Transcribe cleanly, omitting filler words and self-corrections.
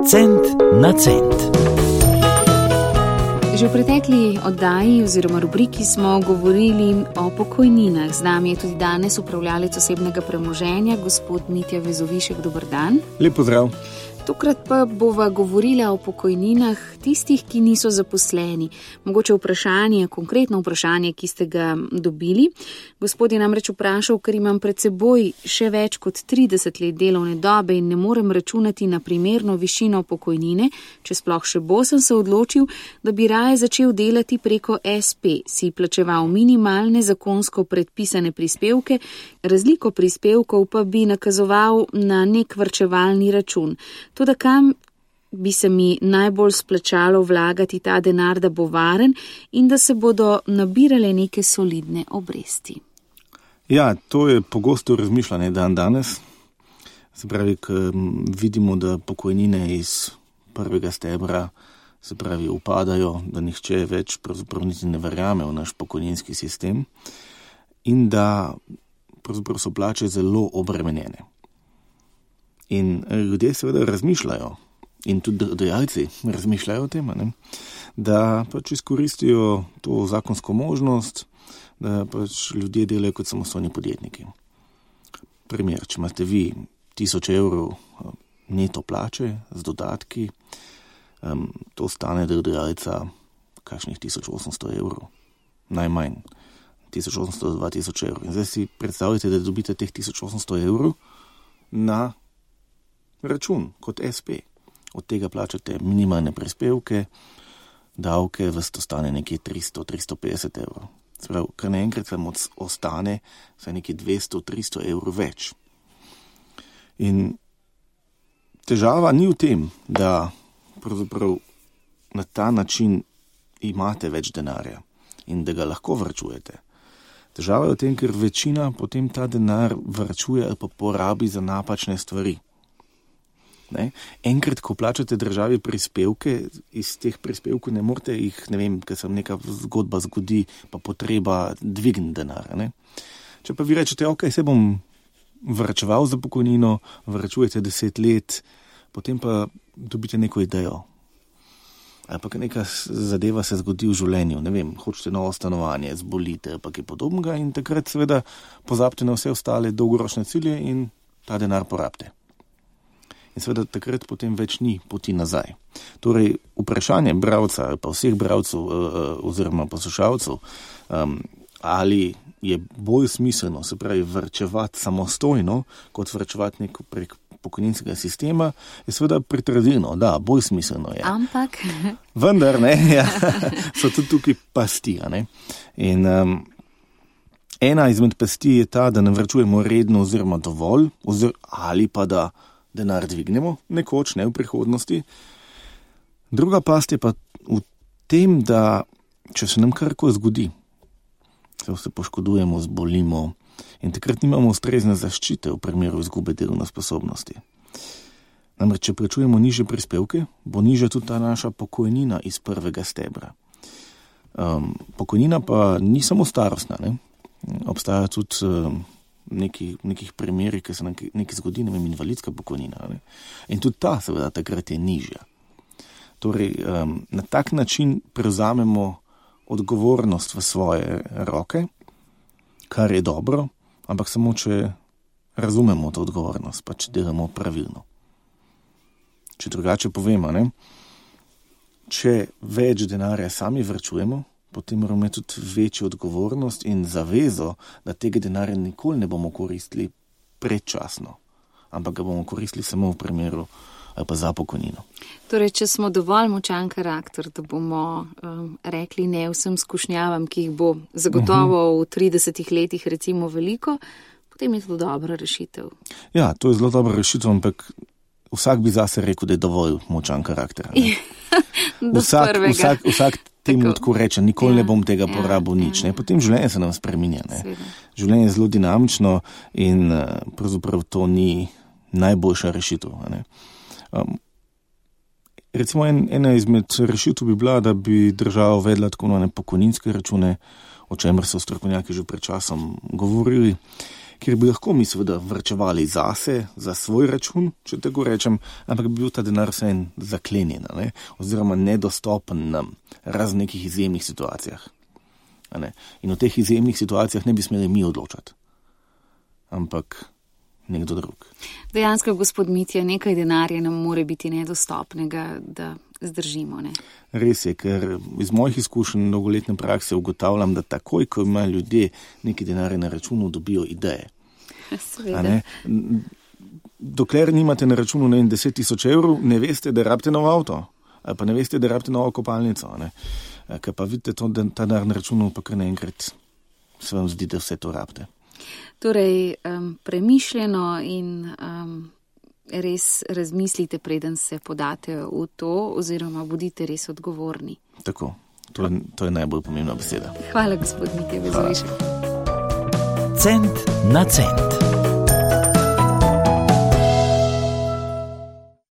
Cent na cent. Že v pretekli oddaji oziroma rubriki smo govorili o pokojninah. Z nami je tudi danes upravljalec osebnega premoženja, gospod Mitja Vezovišek. Dober dan. Lep pozdrav. Tokrat pa bova govorila o pokojninah tistih, ki niso zaposleni. Mogoče vprašanje, konkretno vprašanje, ki ste ga dobili. Gospod je namreč vprašal, ker imam pred seboj še več kot 30 let delovne dobe in ne morem računati na primerno višino pokojnine, če sploh še bo, sem se odločil, da bi raje začel delati preko SP, si plačeval minimalne zakonsko predpisane prispevke, razliko prispevkov pa bi nakazoval na nek varčevalni račun. Toda kam bi se mi najbolj splačalo vlagati ta denar, da bo varen in da se bodo nabirale neke solidne obresti? Ja, to je pogosto razmišljanje danes. Se pravi, ko vidimo, da pokojnine iz prvega stebra se pravi upadajo, da nihče več pravzaprav niti ne verjame v naš pokojninski sistem in da pravzaprav so plače zelo obremenjene. In ljudje seveda razmišljajo, in tudi delodajalci razmišljajo o tem, da pač izkoristijo to zakonsko možnost, da pač ljudje delajo kot samostojni podjetniki. Primer, če imate vi 1000 evrov neto plače z dodatki, to stane delodajalca kakšnih 1800 evrov, najmanj 1800 do 2000 evrov. In zdaj si predstavljate, da dobite teh 1800 evrov na račun kot SP. Od tega plačate minimalne prispevke, davke, vas to stane nekje 300-350 evrov. Sprav, kar naenkrat vam ostane vsaj nekje 200-300 evrov več. In težava ni v tem, da pravzaprav na ta način imate več denarja in da ga lahko varčujete. Težava je v tem, ker večina potem ta denar varčuje ali pa porabi za napačne stvari. Enkrat, ko plačate državi prispevke, iz teh prispevkov ne morete jih, ker se neka zgodba zgodi, pa potreba dvigniti denar. Če pa vi rečete, ok, se bom varčeval za pokojnino, varčujete 10 let, potem pa dobite neko idejo. Ali pa neka zadeva se zgodi v življenju, hočete novo stanovanje, zbolite, pa kaj podobnega in takrat seveda pozabite na vse ostale dolgoročne cilje in ta denar porabite. In seveda takrat potem več ni poti nazaj. Torej, vprašanje bralca, pa vseh bralcev oziroma poslušalcev, ali je bolj smiselno, se pravi, varčevati samostojno, kot varčevati prek pokojninskega sistema, je seveda pritrdilno, da, bolj smiselno je. Ampak? Vendar, so tudi tukaj pasti, In ena izmed pasti je ta, da ne varčujemo redno oziroma dovolj, ali pa da denar dvignemo, nekoč, ne v prihodnosti. Druga past je pa v tem, da če se nam karkoli zgodi, se poškodujemo, zbolimo in takrat nimamo ustrezne zaščite v primeru izgube delovne sposobnosti. Namreč, če plačujemo nižje prispevke, bo nižja tudi ta naša pokojnina iz prvega stebra. Pokojnina pa ni samo starostna, Obstaja tudi nekih primerih, ki se nekaj zgodi, invalidska pokojnina. In tudi ta seveda takrat je nižja. Torej, na tak način prevzamemo odgovornost v svoje roke, kar je dobro, ampak samo, če razumemo to odgovornost, pa če delamo pravilno. Če drugače povemo, če več denarja sami varčujemo, potem moramo imeti tudi večjo odgovornost in zavezo, da tega denarja nikoli ne bomo koristili predčasno, ampak ga bomo koristili samo v primeru ali pa za pokojnino. Torej, če smo dovolj močan karakter, da bomo rekli ne vsem skušnjavam, ki jih bo zagotovo v 30 letih recimo veliko, potem je to dobra rešitev. Ja, to je zelo dobra rešitev, ampak vsak bi zase rekel, da je dovolj močan karakter. Vsak temu tako reče, nikoli ne bom tega porabil nič. Potem življenje se nam spreminja. Življenje je zelo dinamično in pravzaprav to ni najboljša rešitev. Recimo ena izmed rešitev bi bila, da bi država uvedla tako pokojninske račune, o čemer so strokovnjaki že pred časom govorili, kjer bi lahko mi seveda vrčevali zase, za svoj račun, če tako rečem, ampak bi bil ta denar vseeno zaklenjen, ne? Oziroma nedostopen nam, razen nekih izjemnih situacijah. In v teh izjemnih situacijah ne bi smeli mi odločati, ampak nekdo drug. Dejansko, gospod Mitja, nekaj denarja nam more biti nedostopnega, da zdržimo, ne? Res je, ker iz mojih izkušenj dolgoletne prakse ugotavljam, da takoj, ko imajo ljudje neki denarje na računu, dobijo ideje. Seveda. Dokler nimate na računu 10 000 evrov, ne veste, da rabite nov avto, ali pa ne veste, da rabite novo kopalnico. Ker pa vidite to, da ta denar na računu, pa kar naenkrat se vam zdi, da vse to rabite. Torej, premišljeno in res razmislite, preden se podate v to, oziroma bodite res odgovorni. Tako, to je najbolj pomembna beseda. Hvala, gospod Mitja Vezrešek. Cent na cent.